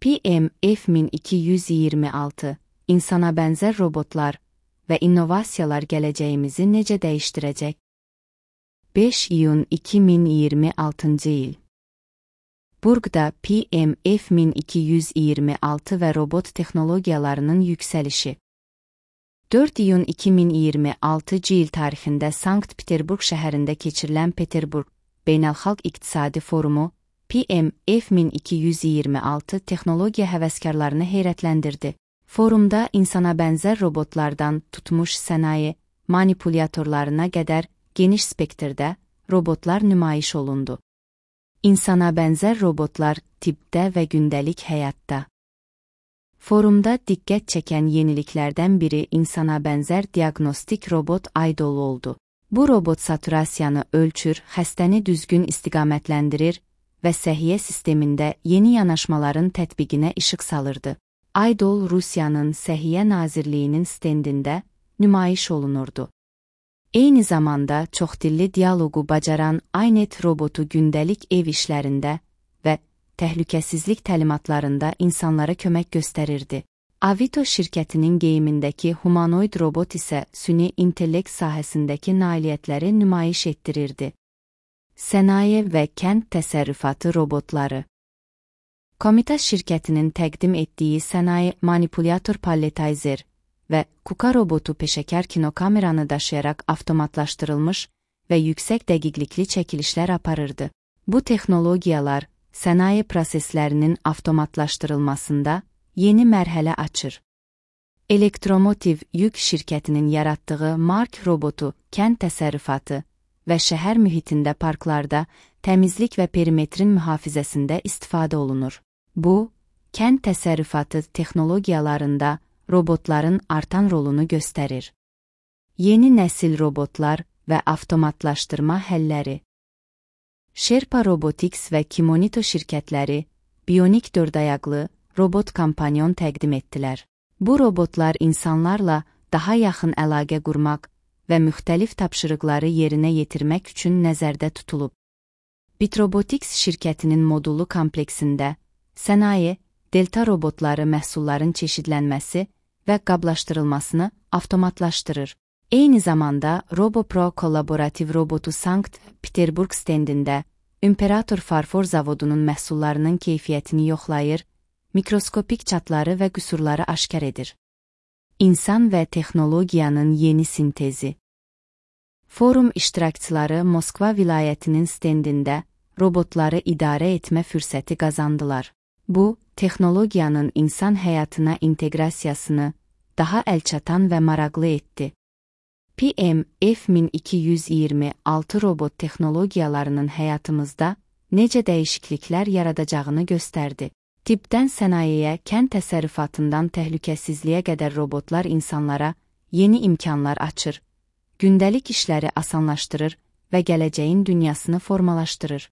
PMF1226, insana bənzər robotlar və innovasiyalar gələcəyimizi necə dəyişdirəcək? 5 iyun 2026 il. Burqda PMF1226 və robot texnologiyalarının yüksəlişi. 4 iyun 2026 il tarixində Sankt-Peterburq şəhərində keçirilən Peterburq Beynəlxalq İqtisadi Forumu PMF1226 texnologiya həvəskarlarını heyrətləndirdi. Forumda insana bənzər robotlardan tutmuş sənaye manipulyatorlarına qədər geniş spektrdə robotlar nümayiş olundu. İnsana bənzər robotlar tibbdə və gündəlik həyatda. Forumda diqqət çəkən yeniliklərdən biri insana bənzər diaqnostik robot Idol oldu. Bu robot saturasiyanı ölçür, xəstəni düzgün istiqamətləndirir və səhiyyə sistemində yeni yanaşmaların tətbiqinə işıq salırdı. Idol Rusiyanın Səhiyyə Nazirliyinin stendində nümayiş olunurdu. Eyni zamanda çoxdilli dialoqu bacaran iNet robotu gündəlik ev işlərində və təhlükəsizlik təlimatlarında insanlara kömək göstərirdi. Avito şirkətinin geyimindəki humanoid robot isə süni intellekt sahəsindəki nailiyyətləri nümayiş etdirirdi. Sənaye və kənd təsərrüfatı robotları. Komitas şirkətinin təqdim etdiyi sənaye manipulyator palletizer və KUKA robotu peşəkar kinokameranı daşıyaraq avtomatlaşdırılmış və yüksək dəqiqlikli çəkilişlər aparırdı. Bu texnologiyalar sənaye proseslərinin avtomatlaşdırılmasında yeni mərhələ açır. Elektromotiv yük şirkətinin yaratdığı Mark robotu kənd təsərrüfatı və şəhər mühitində parklarda təmizlik və perimetrin mühafizəsində istifadə olunur. Bu, kənd təsərrüfatı texnologiyalarında robotların artan rolunu göstərir. Yeni nəsil robotlar və avtomatlaşdırma həlləri. Sherpa Robotics və Kimonito şirkətləri bionik dördayaqlı robot kompanyon təqdim etdilər. Bu robotlar insanlarla daha yaxın əlaqə qurmaq və müxtəlif tapşırıqları yerinə yetirmək üçün nəzərdə tutulub. Bitrobotics şirkətinin modullu kompleksində sənaye, delta robotları məhsulların çeşidlənməsi və qablaşdırılmasını avtomatlaşdırır. Eyni zamanda RoboPro kollaborativ robotu Sankt-Peterburq stendində İmperator Farfor zavodunun məhsullarının keyfiyyətini yoxlayır, mikroskopik çatları və qüsurları aşkar edir. İnsan və texnologiyanın yeni sintezi. Forum iştirakçıları Moskva vilayətinin stendində robotları idarə etmə fürsəti qazandılar. Bu, texnologiyanın insan həyatına inteqrasiyasını daha əlçatan və maraqlı etdi. PMF1226 robot texnologiyalarının həyatımızda necə dəyişikliklər yaradacağını göstərdi. Tibbdən sənayeyə, kənd təsərrüfatından təhlükəsizliyə qədər robotlar insanlara yeni imkanlar açır, gündəlik işləri asanlaşdırır və gələcəyin dünyasını formalaşdırır.